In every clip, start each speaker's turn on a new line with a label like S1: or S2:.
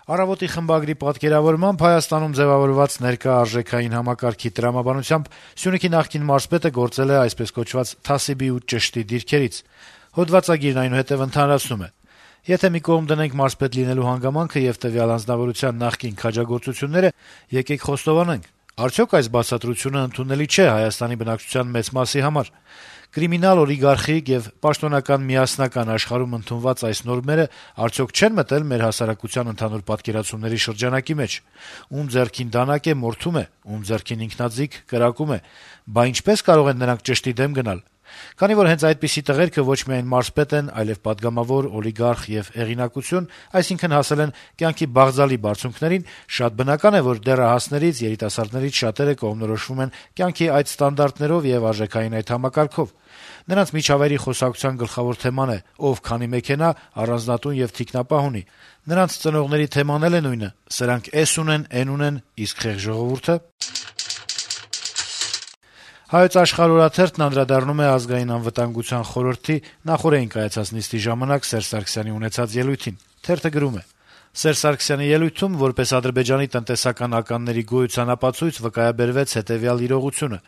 S1: Առավոտի խմբագրի պատկերավորմամբ Հայաստանում ձեւավորված ներկա արժեքային համակարգի տրամաբանությամբ Սյունիքի նախկին մարզպետը գործել է այսպես կոչված թասիբի ու ճշտի դիրքերից։ Հոդվածագիրն այնուհետեւ ընդհանրացնում է. Եթե մի կողմ դնենք մարզպետ լինելու հանգամանքը եւ տվյալ անձնավորության նախկին քաջագործությունները, եկեք խոստովանենք, արդյոք այս բացատրությունը ընդունելի չէ Հայաստանի բնակչության մեծ մասի համար։ Կրիմինալ, օլիգարխիկ եւ պաշտոնական միասնական աշխարհում ընդունված այս նորմերը արդյոք չեն մտել մեր հասարակության ընդհանուր պատկերացումների շրջանակի մեջ։ Ում ձեռքին դանակ է, մորթում է, ում ձեռքին ինքնաձիգ կրակում է։ Բա ինչպես կարող են նրանք ճշտի դեմ գնալ։ Քանի որ հենց այդպիսի տղերքը ոչ միայն մարզպետ են, այլև պատգամավոր, օլիգարխ եւ հեղինակություն, այսինքն հասել են կյանքի բաղձալի բարձունքներին, շատ բնական է, որ դեռահասներից, երիտասարդներից շատերը կողմնորոշվում են կյանքի այդ ստանդարտներով եւ արժեքային այդ համակարգով։ Նրանց միջավայրի խոսակցության գլխավոր թեման է ով քանի մեքենա, առանձնատուն եւ թիկնապահ ունի։ Նրանց ծնողների թեման էլ է նույնը. սրանք էս ունեն, են ունեն, իսկ խեղ ժողովուրդը։ Հայոց աշխարհ օրաթերթն անդրադառնում է ազգային անվտանգության խորհրդի նախօրեին կայացած նիստի ժամանակ Սերժ Սարգսյանի ունեցած ելույթին։ Թերթը գրում է. Սերժ Սարգսյանի ելույթում որպես Ադրբեջանի տնտեսական ականների գոյության ապացույց վկայաբերվեց հետեւյալ իրողությունը.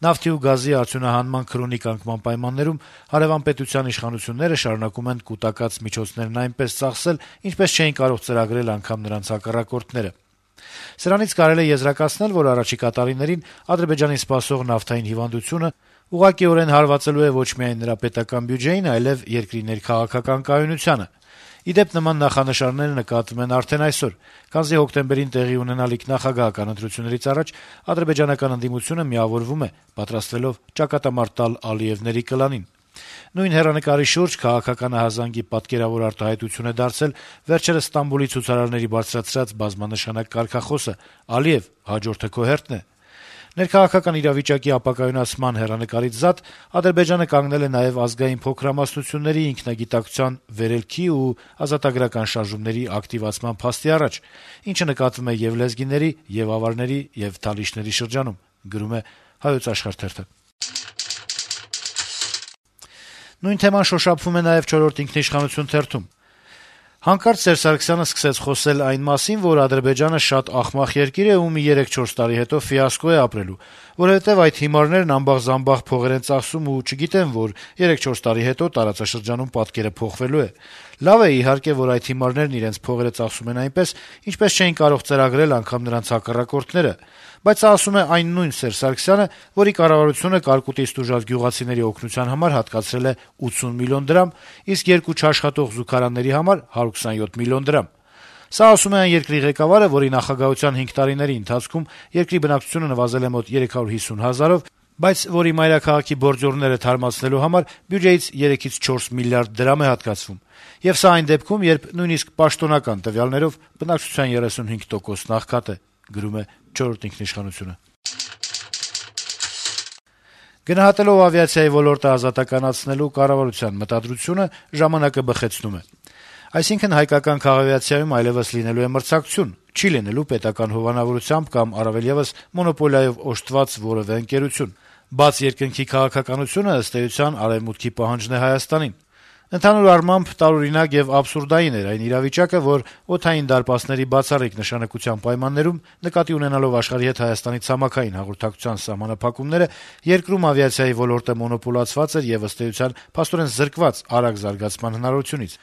S1: նավթի ու գազի արդյունահանման քրոնիկ անկման պայմաններում հարևան պետության իշխանությունները շարունակում են կուտակած միջոցներն այնպես ծախսել, ինչպես չէին կարող ծրագրել անգամ նրանց հակառակորդները։ Սրանից կարելի է եզրակացնել, որ առաջիկա տարիներին Ադրբեջանի սպասող նավթային հիվանդությունը ուղղակիորեն հարվածելու է ոչ միայն նրա պետական բյուջեին, այլև երկրի ներքաղաքական կայունությանը։ Ի դեպ, նման նախանշանները նկատվում են արդեն այսօր, քանզի հոկտեմբերին տեղի ունենալիք նախագահական ընտրություններից առաջ ադրբեջանական ընդդիմությունը միավորվում է, պատրաստվելով ճակատամարտ տալ Ալիևների կլանին։ Նույն հեռանկարի շուրջ քաղաքականահազանգի պատկերավոր արտահայտություն է դարձել վերջերս Ստամբուլի ցուցարարների բարձրացրած բազմանշանակ կարգախոսը. «Ալիև, հաջորդը քո հերթն է»։ Ներքաղաքական իրավիճակի ապակայունացման հեռանկարից զատ Ադրբեջանը կանգնել է նաև ազգային փոքրամասնությունների ինքնագիտակցության վերելքի ու ազատագրական շարժումների ակտիվացման փաստի առաջ, ինչը նկատվում է եւ լեզգիների, եւ ավարների, եւ թալիշների շրջանում, գրում է Հայոց աշխարհ թերթը։ Նույն թեման շոշափվում է նաև «Չորրորդ ինքնիշխանություն» թերթում։ Հանկարծ Սերժ Սարգսյանը սկսեց խոսել այն մասին, որ Ադրբեջանը շատ ախմախ երկիր է ու մի 3-4 տարի հետո ֆիասկո է ապրելու, որովհետև այդ հիմարներն ամբաղ-զամբաղ փողեր են ծախսում ու չգիտեն, որ 3-4 տարի հետո տարածաշրջանում պատկերը փոխվելու է։ Լավ է, իհարկե, որ այդ հիմարներն իրենց փողերը ծախսում են այնպես, ինչպես չէին կարող ծրագրել անգամ նրանց հակառակորդները, բայց սա ասում է այն նույն Սերժ Սարգսյանը, որի կառավարությունը կարկուտիստ ուժած գյուղացիների օգնության համար հատկացրել է 80 միլիոն դրամ, իսկ 2 չաշխատող զուգարանների համար 127 միլիոն դրամ։ Սա ասում է այն երկրի ղեկավարը, որի նախագահության 5 տարիների ընթացքում երկրի բնակչությունը նվազել է մոտ 350 հազարով, բայց որի մայրաքաղաքի բորձորները թարմացնելու համար բյուջեից 3-ից 4 միլիարդ դրամ է հատկացվում։ Եվ սա այն դեպքում, երբ նույնիսկ պաշտոնական տվյալներով բնակչության 35% աղքատ է, գրում է «Չորրորդ ինքնիշխանություն»-ը։ Գնահատելով ավիացիայի ոլորտը ազատականացնելու կառավարության մտադրությունը, «Ժամանակ»-ը բխեցնում է. այսինքն հայկական քաղավիացիայում այլևս լինելու է մրցակցություն, չի լինելու պետական հովանավորությամբ կամ առավել եւս մոնոպոլիայով օժտված որեւէ ընկերություն։ Բաց երկնքի քաղաքականությունը ըստ էության արեւմուտքի պահանջն է Հայաստանին։ Ընդհանուր առմամբ տարօրինակ եւ աբսուրդային էր այն իրավիճակը, որ օդային դարպասների բացառիկ նշանակության պայմաններում, նկատի ունենալով աշխարհի հետ Հայաստանի ցամաքային հաղորդակցության սահմանափակումները, երկրում ավիացիայի ոլորտը մոնոպոլացված էր եւ ըստ էության փաստորեն զրկված արագ զարգացման հնարավորությունից։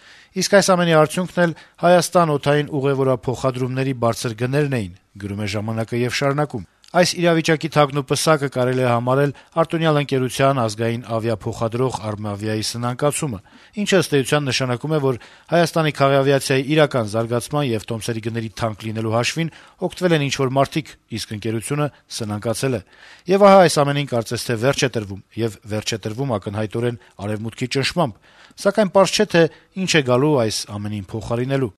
S1: Իսկ այս ամենի արդյունքն էլ Հայաստան օդային ուղևորափոխադրումների բարձր գներն էին, գրում է «Ժամանակ»-ը եւ շարունակում. Այս իրավիճակի թագնոպսակը կարելի է համարել արտոնյալ ընկերության ազգային ավիափոխադրող «Արմավիայի» սնանկացումը, ինչը ըստ էության նշանակում է, որ Հայաստանի քաղավիացիայի իրական զարգացման եւ տոմսերի գների թանկ լինելու հաշվին օգտվել են ինչ-որ մարդիկ, իսկ ընկերությունը սնանկացել է։ Եվ ահա այս ամենին կարծես թե վերջ է տրվում, եւ վերջ է տրվում ակնհայտորեն արեւմուտքի ճնշմամբ, սակայն պարզ չէ, թե ինչ է գալու այս ամենին փոխարինելու։